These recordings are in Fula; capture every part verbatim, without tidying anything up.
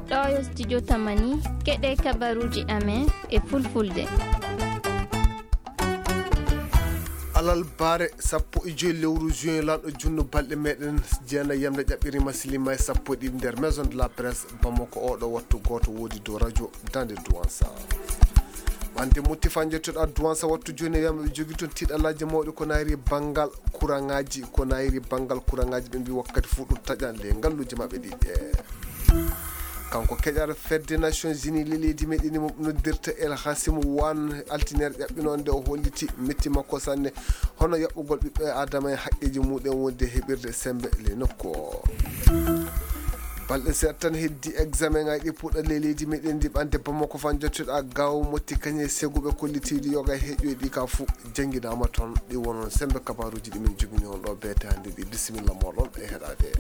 Ɗo yo studio Tamani, keɗe kabaruuji amen e fulfulde. Alal bare sappo e joy lewru juin, lanɗo junno balɗe meɗen jeenayi yamde ƴaɓɓirima silima e sappo e ɗiɗi nder Maison de la Presse Bamako. Oɗo wattu goto wodi dow radio Dande Duwansa. Wande mutti fan jettoɗa Duwansa wattu joni e yamɓe ɓe jogi toon tiɗalaji mawɗi ko nayri bangal kurangaji, ko nayri bangal kurangaji ɓe mbi wakkati fu ɗum taƴan le ngalluji maɓɓe ɗiɗi. Kanko keƴar fedde Nations Unies le leydi meɗen mo noddirta El Hasim Wan, altiner ƴaɓɓinonde o holliti metti makko sanne, hono yaɓɓugol ɓiɓɓe Adama e haqqeji muɗen wonde heɓirde sembe le nokku o. Balɗe seeɗa tan heddi examen ngaji ɗi puɗɗa le leydi meɗen ndi ɓande Bamako fan jottoɗa gaw motti kañe seguɓe kollitiɗi yoga e heƴƴoyɗi ka fu jangidama toon. Ɗi wonon sembe kabaruji ɗi min jogini on ɗo beete hande ɗi. Bisimilla moɗon e heɗade.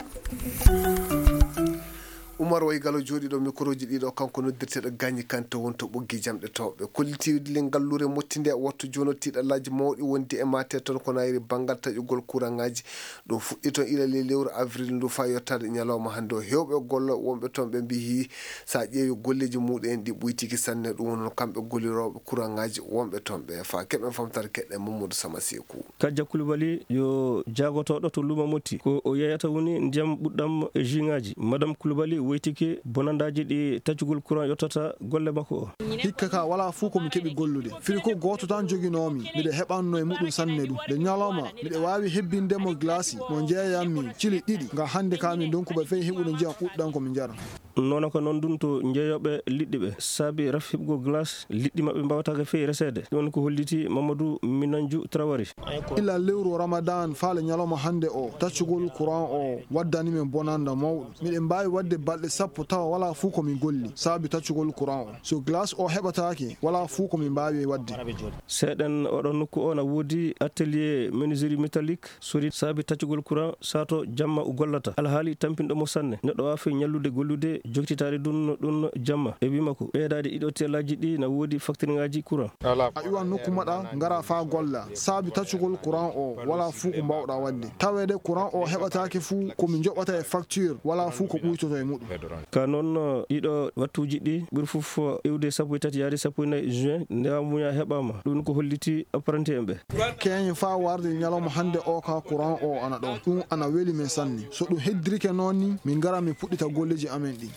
Umar Way Galo jooɗiiɗo mikroji ɗiɗo, kanko noddirteeɗo Gagny Kanté woni to ɓoggi jamɗe towɓe. Kollitiiɗi le ngalluure mottinde wattu jono tiɗalaaji mawɗi wondi e mate toon ko nayri banngal taƴugol kuraŋaaji. Ɗum fuɗɗi toon ila le lewru avril ndu faa yottaade ñalawma hannde o. Heewɓe gollooɓe wonɓe toon ɓe mbiyi so a ƴeewi golleeji muɗum en ɗi ɓuytiki sanne. Ɗum woni noon kamɓe gollirooɓe kuraŋaaji wonɓe toon ɓe. Faa keɓen famtare keɗɗen Mamadou Sama Seeku. Kajja Koulibaly yo jaagotooɗo to luumo Motti. Ko o yeeyata woni ndiyam ɓuɗɗam e jus ŋaaji. Madame Koulibaly woytike bonandaaji ɗi taccugol courant yottata golle makko o. Hikka ka walaa fuu ko mi keɓi gollude. Firi ko gooto tan joginoomi. Miɗo heɓanno e muɗum sanne ɗum. Nde ñalawma, miɗo waawi hebbinde mo glace mo njeeyammi cili ɗiɗi. Ngam hannde ka mi ndonkuɓe fey heɓude ndiyam ɓuɗɗam ko mi njara. Noon ko noon ɗum to jeeyooɓe liɗɗi ɓe. Saabi raf heɓugol glace, liɗɗi maɓɓe mbaawataake fey reseede. Ɗum ko holliti Mamadou Minanju Traoré. Ila lewru Ramadan faale ñalawma hannde o, taccugol courant o waddani min bonannda mawɗo. Miɗen mbaawi waɗde balɗe sappo tawa walaa fuu ko mi golli, saabi taccugol courant o. So glace o heɓataake, walaa fuu ko mi mbaawi waɗde. Seeɗen oɗo nokku o na woodi atelier menuiserie métallique. Sori saabi taccugol courant sato jamma o gollata. Alhaali tampinɗo mo sanne. Neɗɗo waawi ñallude gollude, joktitaade ɗum, ɗum jamma. E wii makko, ɓeydaade ɗiɗo telaaji ɗi na woodi facture ŋaaji courant. A iwan nokku maɗa, ngara faa golla. Saabi taccugol courant o, walaa fuu ko mbaawɗa waɗde. Taweede courant o heɓataake fuu, ko mi njoɓata e facture, walaa fuu ko ɓuytoto e muɗum. Ka noon, ɗiɗo wattuuji ɗi ɓuri fof iwde sappo e tati yaade sappo e nayi juin, nde amuya heɓaama. Ɗum ko holliti apprenti en ɓe. Keeñe faa warde ñalawma hannde o ka courant o ana ɗo. Ɗum ana weli min sanne. So ɗum heddirike noon ni, min ngara min puɗɗita golleeji amen ɗi.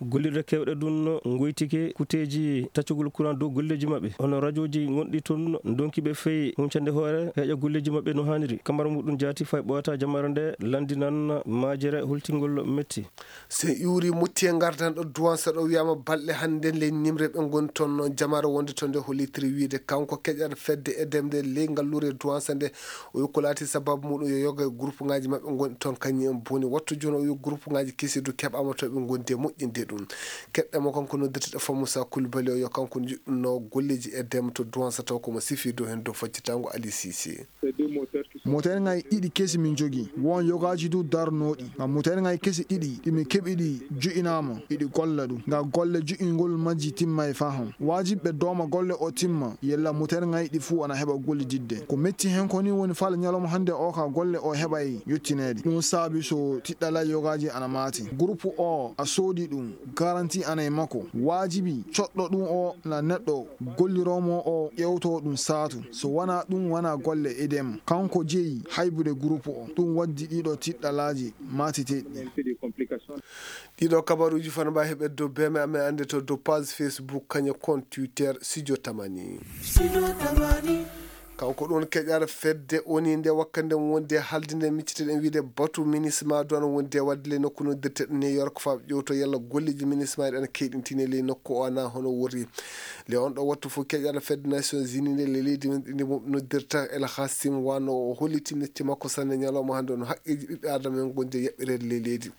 Gollirɗe keewɗe ɗum ngoytike kuteeji taccugol courant dow golleeji maɓɓe. Hono rajooji gonɗi toon ndonki ɓe fey huncande hoore heƴa golleeji maɓɓe no haaniri. Kamara muɗum jaati fay ɓoyata jamare nde landinan majere hultingol metti. So en iwri Motti e ngardan ɗo Duwansa ɗo wiyama balɗe hannde le nimre ɓe ngoni toon noon jamare wonde toon nde hollitiri wiide kanko keƴal fedde e demde ley ngalluure Duwansa nde o wi ko laati sababu muɗum yo yoga e groupe ngaji maɓɓe ngoni toon kañum en boni wattu jooni o wi groupe ngaji kesi du keɓama to ɓe gondi e moƴƴinde ɗum. Keɗɗamo kanko noddirteɗo Famusa Koulibaly o yo kanko jiɗɗunno golleji e dem to Duwansa taw komo sifi dow hen dow faccitango Ali Sisi. Moteur ŋaaji ɗiɗi kesi min njogii. Won yogaaji du darnooɗi. Ngam moteur ŋaaji kesi ɗiɗi ɗi min keɓi ɗi jo'inaama, iɗi golla du. Ngam golle jo'ingol majji timmay faham. Waajibi ɓe dooma golle o timma, yella moteur ŋaaji ɗi fuu ana heɓa gollididde. Ko metti hen ko ni woni faale ñalawma hannde o ka golle o heɓay yottineede. Ɗum saabi so tiɗɗalay yogaaji ana maati. Groupe o a soodi ɗum, garanti ana e makko. Waajibi coɗɗo ɗum o na neɗɗo golliroomo o ƴewto ɗum saatu. So wanaa ɗum, wanaa golle idem. Kanko jeyi haybude groupe o. Ɗum waddi ɗiɗo tiɗɗalaaji maatiteeɗi. Ɗiɗo kabaruuji fana mbawi heɓe dow beme amen annde to dow page Facebook, kañe compte Twitter, Studio Tamani. Kanko ɗon keƴar fedde oni nde wakkande wonde haldinde micciteɗen wiide batu minisma duwan wonde wadde le nokku noddirteɗo New York faa ƴewto yalla golleji minisma ɗen keyɗintine ley nokku o ana hono wori. Le on ɗo wattu fof keƴar fedde Nations Unies nde le leydi men ɗi mo noddirta El Hassim wano o holliti metti makko sanne ñalawma hannde no haqqeji ɓiɓɓe adama en gonde yaɓɓirede ley leydi.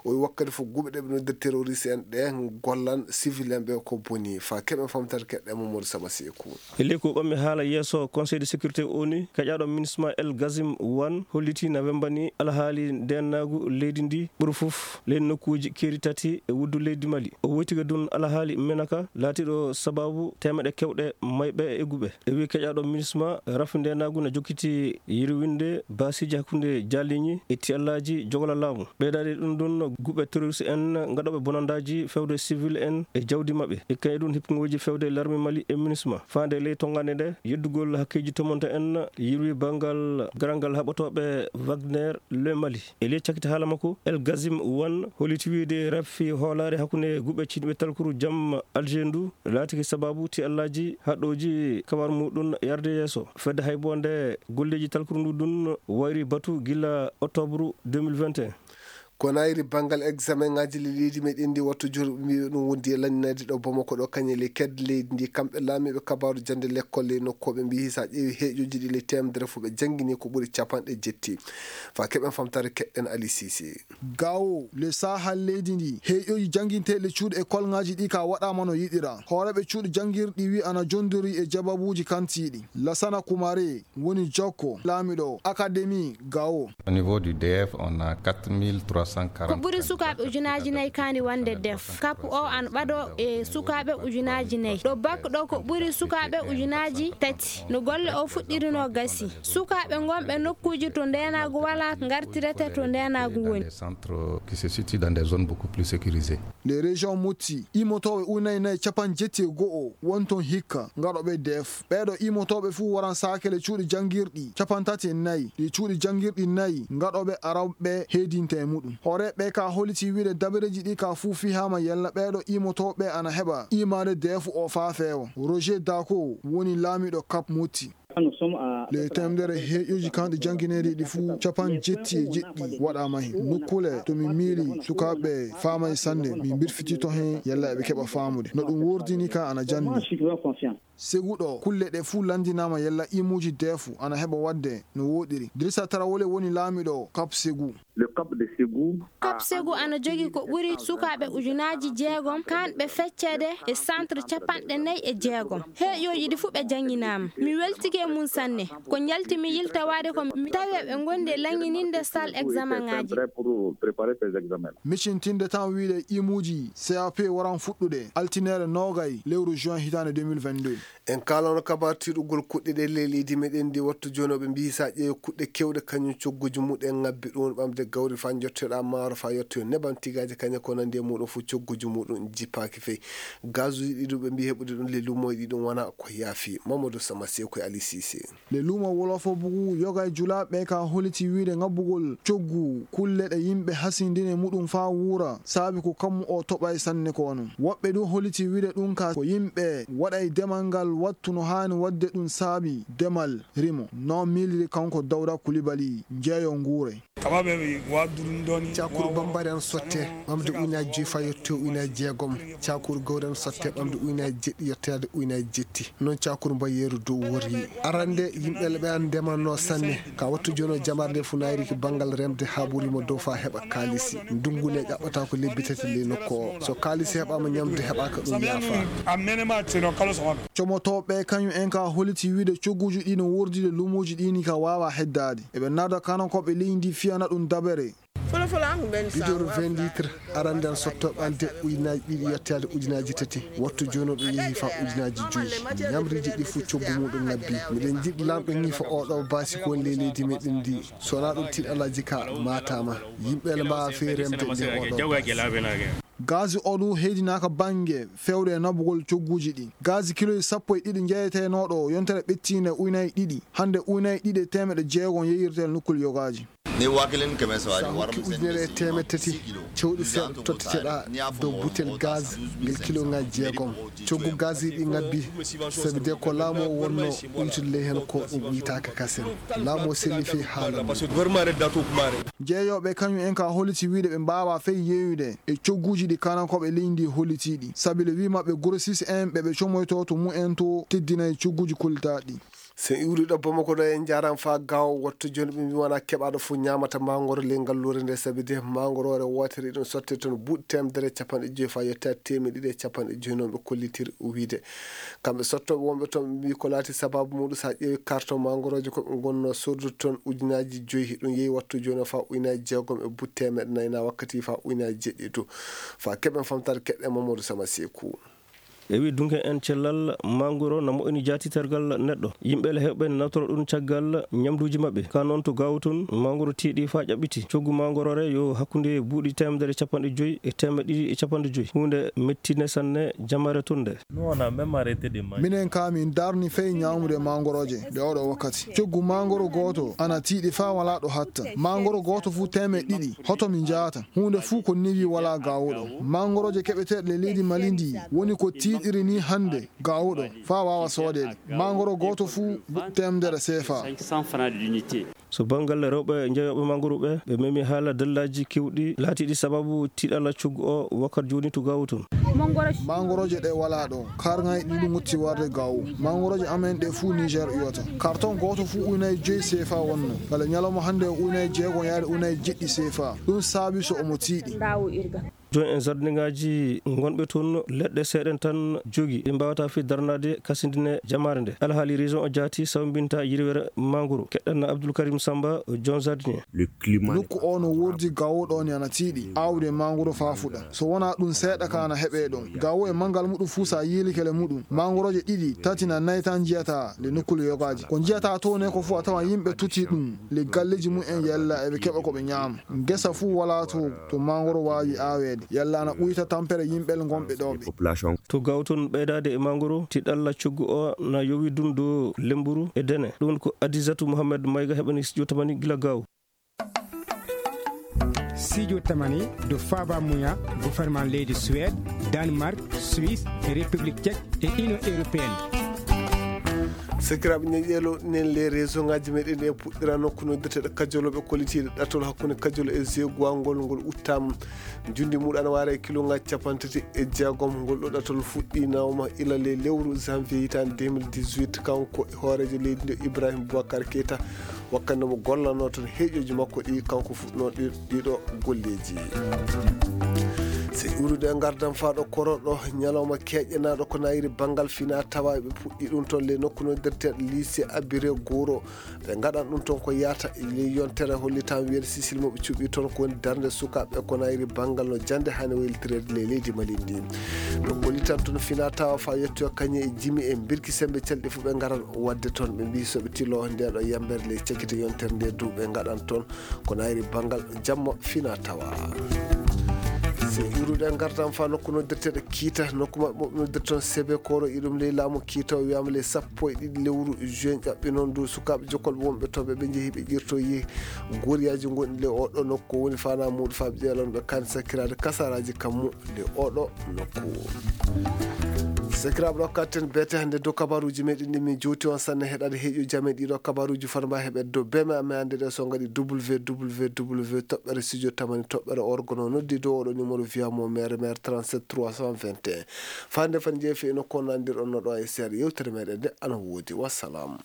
O wi wakkati fof guɓe ɗe ɓe noddirta terroriste en ɗe gollan civil en ɓe ko boni. Fa keɓe famtata keɗɗe Mamadou Saba Seeku. E ley ko ɓammi haala yeeso Conseil sécurité O N U, keƴaaɗo MINUSMA El Gazim Wan hollitii na wemmbani alhaali ndeenaagu leydi ndi ɓuri fof ley nokkuuji keeri tati e wuddu leydi Mali. O woytike ɗum alhaali menaka laatiiɗo sabaabu teemeɗe kewɗe mayɓe e egguɓe. E wii keƴaaɗo MINUSMA, rafi ndeenaagu na jokkiti yirwinde baasiiji hakkunde jaaliiñi e tiyallaaji jogla laamu. Ɓeydaade ɗum ɗum, guɓe terroriste en gaɗooɓe bonandaaji fewde civil en e jawdi maɓɓe. E kay ɗum hippuŋooji fewde larme Mali e MINUSMA. Faande ley tonngande nde, yeddugol hakkeeji tomonto en yirwi banngal garangal haɓotooɓe Wagner le Mali. E ley cakkiti haala makko, El Gazim Wan holliti wiide rafi hoolaare hakkunde guɓe ciɗiiɓe talkuru jam Alger ndu laatike sabaabu tiyallaaji haɗooji kabar muɗum yarde yeeso. Fedde hay bo nde golleeji talkuru ndu ɗum wayri batu gila octobre deux mille vingt et un. Ko nayri banngal examen ŋaaji le leydi meɗen ndi wattu jur mbiɓe ɗum wondi e lanndinaade ɗo Bamako ɗo kañe le ked leydi ndi kamɓe laamiiɓe kabaaru jannde lekkol le nokkooɓe mbiyi sa ƴeewi heeƴoji ɗi le temedere fof ɓe janngini ko ɓuri capanɗe jetti. Fa keɓen famtare keɗɗen Ali Sisi. Gawo le Sahel leydi ndi heeƴoji jannginteeɗi cuuɗi e kolŋaaji ɗi ka waɗaama no yiɗira. Hooreeɓe cuuɗi janngirɗi wi ana jondiri e jababuuji kantiiɗi. Lasana Kumare woni jokko laamiɗo Académie Gao. Au niveau du D F, on a quatre mille trois cent quarante. Ko ɓuri sukaaɓe ujunaaji nayi kaani wonde D F. Kapu o ana ɓado e sukaaɓe ujunaaji nayi. Ɗo bak ɗo ko ɓuri sukaaɓe ujunaaji tati. No golle o fuɗɗiri no gasi. Sukaaɓe ngonɓe nokkuuji to ndeenaagu walaa ngartirete to ndeenaagu woni. Des centres qui se situent dans des zones beaucoup plus sécurisées. Les régions Moti, imotooɓe unayi nayi capanɗe jetti e go'o woni toon hikka, ngaɗooɓe D F. Ɓeeɗo imotooɓe fuu waran saakele cuuɗi janngirɗi capanɗe tati e nayi, ɗi cuuɗi janngirɗi nayi ngaɗooɓe arawɓe heedinte e muɗum. Hooreeɓe ka holiti wiide dabareeji ɗi ka fuu fihaama yalla ɓeeɗo imotooɓe ana heɓa imaade D F o faa feewa. Roger Dako woni laamiiɗo Cap Moti. Le temedere heeƴoji kanɗi janngineede ɗi fuu capanɗe jetti e jeɗɗi waɗaama heen. Nokkuule to min miili sukaaɓe faamay sanne, min mbirfiti to heen yalla eɓe keɓa faamude. No ɗum woordini ka ana janni. Segu ɗo kulle ɗe fuu lanndinaama yalla imuuji D F ana heɓa waɗde no wooɗiri. Dirisa Tarawole woni laamiiɗo Cap Segu. Le Cap de Ségou. Cap Segu ana jogi ko ɓuri sukaaɓe ujunaaji jeegom, kanɓe fecceede e centre capanɗe nayi e jeegom. Heeƴooji ɗi fuu ɓe jannginaama. Mi weltike e mum sanne. Ko njalti mi yiltawaade ko mi tawi eɓe ngondi e laŋŋininde salle examen ŋaaji. Pour préparer ces examens. Micintinde tan wiide imuuji C A P waran fuɗɗude altine noogay lewru juin hitaande deux mille vingt-deux. En kaalano kabaar tiiɗugol kuɗɗe ɗe ley leydi meɗen ndi wattu jooni, oɓe mbiyi sa ƴeewi kuɗɗe kewɗe kañum cogguji muɗen ngabbi ɗum ɓamde gawri fa jottoɗa maaro fa yettoyo nebam tigaaji kañum ko nandi e muɗum fof cogguji muɗum jippaaki fey. Gazuji ɗi ɗum ɓe mbiyi heɓude ɗum ley lumoji ɗi ɗum wona ko yaafi. Mamadou Sama Sew koye Ali Sise. Le lumo wolofo bugu yoga e julaaɓe ka holiti wiide ngabbugol coggu kulle ɗe yimɓe hasindini e muɗum faa wuura, saabi ko kammu o toɓay sanne ko non. Woɓɓe du holiti wiide ɗum ka ko yimɓe waɗay demal ngal wattu no haani waɗde ɗum saabi demal rimo. No miiliri kanko Dawda Kulibali, jeeyo nguure. Cakuru bambari an sotte ɓamde ujunaaji joyi faa yettoyo ujunaaji jeegom. Cakuru gawri an sotte ɓamde ujunaaji jeɗɗi yettoyaade ujunaaji jetti. Noon cakuru mbayeeru dow worri. Arande yimɓe le ɓe an ndemanno sanne. Ka wattu jooni o jamar nde fu nayriki banngal remde haa ɓuri mo dow faa heɓa kaalisi. Ndungu ne ƴaɓɓata ko lebbi tati ley nokku o. So kaalisi heɓaama ñamde heɓaaka ɗum yaafa. Comotooɓe kañum en ka holiti wiide cogguuji ɗi no wordide luumoji ɗi ni ka waawa heddaade. Eɓe naada kanankooɓe leydi ndi fiyana ɗum dabere. Bidon vingt litres arande an sottooɓe an de ujunaaji ɗiɗi yettaade ujunaaji tati. Wattu jooni o ɗum yehi faa ujunaaji joyi. Ñamriiji ɗi fuu coggu muɗum ngabbi. Miɗen njiɗi laamɗo ñiifa oo ɗoo baasi ko woni ley leydi meɗen ndi. So wonaa ɗum tiiɗalaaji ka maataama. Yimɓe ne mbaawa fey remde nde oo ɗoo baasi. Gaasi oo ɗum heydinaaka bannge fewde e nabugol cogguuji ɗi. Gaasi kiloji sappo e ɗiɗi njeyetenooɗo yontere ɓettiinde ujunaaji ɗiɗi. Hannde ujunaaji ɗiɗi e teemeɗɗe jeegom yeeyirtee nokkuli yogaaji. Sa hokki ujunere e teemeɗɗe tati cewɗi seeɗa totteteɗaa dow butel gaz ngel kiloŋaaji jeegom. Coggu gaz ɗi ngabbi, sabi de ko laamu o wonno uytude ley heen ko ɗum uytaaka kasen. Laamu o selli fey haala mum. Jeeyooɓe kañum en ka holliti wiide ɓe mbaawaa fey yeeyude e cogguuji ɗi kanankooɓe leydi ndi hollitiiɗi. Sabi le wii maɓɓe grossiste en ɓe ɓe comoytoo to mumen to teddinay cogguuji kollitaaɗi. So en iwri ɗo Bamako ɗo, en njaaraama faa gaawo. Wattu jooni ɓe mbii wonaa keɓaaɗo fof ñaamata maangoro ley ngalluure nde, sabi de maangoroore wootere iɗum sottee toon buuɗi teemedere e capanɗe joyi faa yettaa teemedde ɗiɗi e capanɗe joyi, noon ɓe kollitiri wiyde. Kamɓe sottooɓe wonɓe toon ɓe mbii ko laati sabaabu muuɗum, so a ƴeewi karton maangorooje ko ɓe ngonnoo soodude toon ujunaaji joyi, ɗum yehi wattu jooni o faa ujunaaji jeegom e buuɗi teemedde nayi, na wakkati faa ujunaaji jeeɗiɗi to. Faa keɓen famtaade keɗɗen Mamadou Sama Seeku. E wi dunke en cellal, mangoro na moƴƴini jaati tergal neɗɗo. Yimɓe le heewɓe ne nawtora ɗum caggal ñamduuji maɓɓe. Ka noon to Gaawo toon, mangoro tiiɗi faa ƴaɓɓiti. Coggu mangoro re yo hakkunde buuɗi teemedere e capanɗe joyi e teemedde ɗiɗi e capanɗe joyi. Huunde mettine sanne jamare toon nde. Nous, on a même arrêté de manger. Minen kaa min darni fey ñaamude mangorooje nde oɗo wakkati. Coggu mangoro gooto ana tiiɗi faa walaa ɗo hatta. Mangoro gooto fuu teemedde ɗiɗi. Hoto mi njaata. Huunde fuu ko newi walaa Gaawo ɗo. Mangorooje keɓeteeɗe le leydi Mali ndi woni ko tiiɗiri ni hannde Gaawo ɗo faa waawa soodeede. Mangoro gooto fuu teemedere seefa. So banngal rewɓe njeyooɓe mangoro ɓe, ɓe memi haala dallaaji keewɗi laatiiɗi sababu tiiɗalla coggu o wakkati jooni to Gaawo toon. Mangorooje ɗe walaa ɗo. Karŋaaji ɗiɗi ngotti warde Gaawo. Mangorooje amen ɗe fuu Niger iwata. Karton gooto fuu ujunaaji joyi seefa wonnoo. Kala ñalawma hannde o ujunaaji jeegom yaade ujunaaji jeeɗiɗi seefa. Ɗum saabi so omo tiiɗi. Jooni en jardinŋaaji ngonɓe toon, leɗɗe seeɗen tan jogii, ɗe mbaawata fii darnaade kasindine jamaare nde. Alhaali région o jaati sawmbinta yirwere mangoro. Keɗɗen Abdoul Karim Samba, joon jardinier. Nokku o no woordi Gaawo ɗo ni ana tiiɗi aawde mangoro faa fuɗa. So wonaa ɗum seeɗa ka ana heɓee ɗon. Gaawo e manngal muɗum fuu so a yiilike le muɗum, mangorooje ɗiɗi, tati na nayi tan njiyataa le nokkuule yogaaji. Ko njiyataa toon ne ko fuu a tawan yimɓe tutii ɗum le galleeji mum en yalla eɓe keɓa ko ɓe ñaama. Ngesa fuu walaa to, to mangoro waawi aaweede. Yalla ana ɓuyta tampere yimɓe le ngonɓe ɗo ɓe. To Gaawo toon ɓeydaade e mangoro, tiiɗalla coggu o na yowi ɗum dow Lemburu e Dene. Ɗum ko Adisatu Mohamed Mayga heɓani Studio Tamani gila Gaawo. Studio Tamani ɗo faaba muya gouvernement leydi Suède, Danemark, Suisse, e République Tchèque e Union Européenne. Sakiraaɓe, ñeñƴeelo nen les réseau ngaaji meɗen e puɗɗira nokku noddirteeɗo Kajolo ɓe kollitiiɗo ɗatol hakkunde Kajolo e Zeeguwa ngol, ngol uttaama. Njundi muɗum ana waara e kilo ngaaji capanɗe tati e jeegom. Ngol ɗo ɗatol fuɗɗi nawma ila le lewru janvier hitaande deux mille dix-huit. Kanko e hooreejo leydi ndi Ibrahim Boubacar Keita. Wakkati mo gollanoo toon heeƴooji makko ɗi, kanko fuɗɗinoo ɗi, ɗiɗo golleeji. So iwrude e ngardam faa ɗo kororɗo, ñalawma keeƴanaaɗo ko nayri banngal fina tawa ɓe puɗɗi ɗum toon le nokku noddirteeɗo lycée Abiré Goro. Ɓe ngaɗan ɗum toon ko yaata ley yontere hollitaama wiyeede Sisil mo ɓe cuɓi toon ko woni darnde sukaaɓe ko nayri banngal no jannde hani waylitireede ley leydi Mali ndi. Ɓe gollitan toon fina tawa faa yettoya kañe e jimi e mbirki sembe calɗi fof ɓe ngaran waɗde toon. Ɓe mbii so ɓe tiloo ndee ɗo yambere ley cakite yontere nde du ɓe ngaɗan toon ko nayri banngal jamma fina tawa. So iwrude e ngartam faa nokku noddirteeɗo Kiita, nokku maɓɓe mo ɓe noddirta toon Sebe Koro, iɗum ley laamu Kiita o wiyaama ley sappo e ɗiɗi lewru juin ƴaɓɓi noon du sukaaɓe jokkolɓe wonɓe toon ɓe ɓe njehi ɓe ƴirtoyi goriyaaji ngonɗi ley oɗo nokku woni fana muuɗum faa ɓe ƴeelan ɓe kan sakkiraade kasaraaji kammu. Nde oɗo nokku. Sakiraaɓe, ɗo katten beete hannde dow kabaruuji meɗen ɗi min jowti on sanne heɗade heeƴo jame ɗiɗo kabaruuji fotma heɓe dow beme amen hannde ɗe so ngaɗi www toɓɓere studio tamani toɓɓere orgono noddi dow oɗo numéro via mo mere mere trente-sept trois cent vingt et un. Fande fan jeefi eno ko nandir on no ɗo e seeɗa yewtere meɗen nde ana woodi. Wassalam.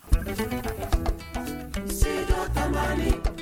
Studio Tamani.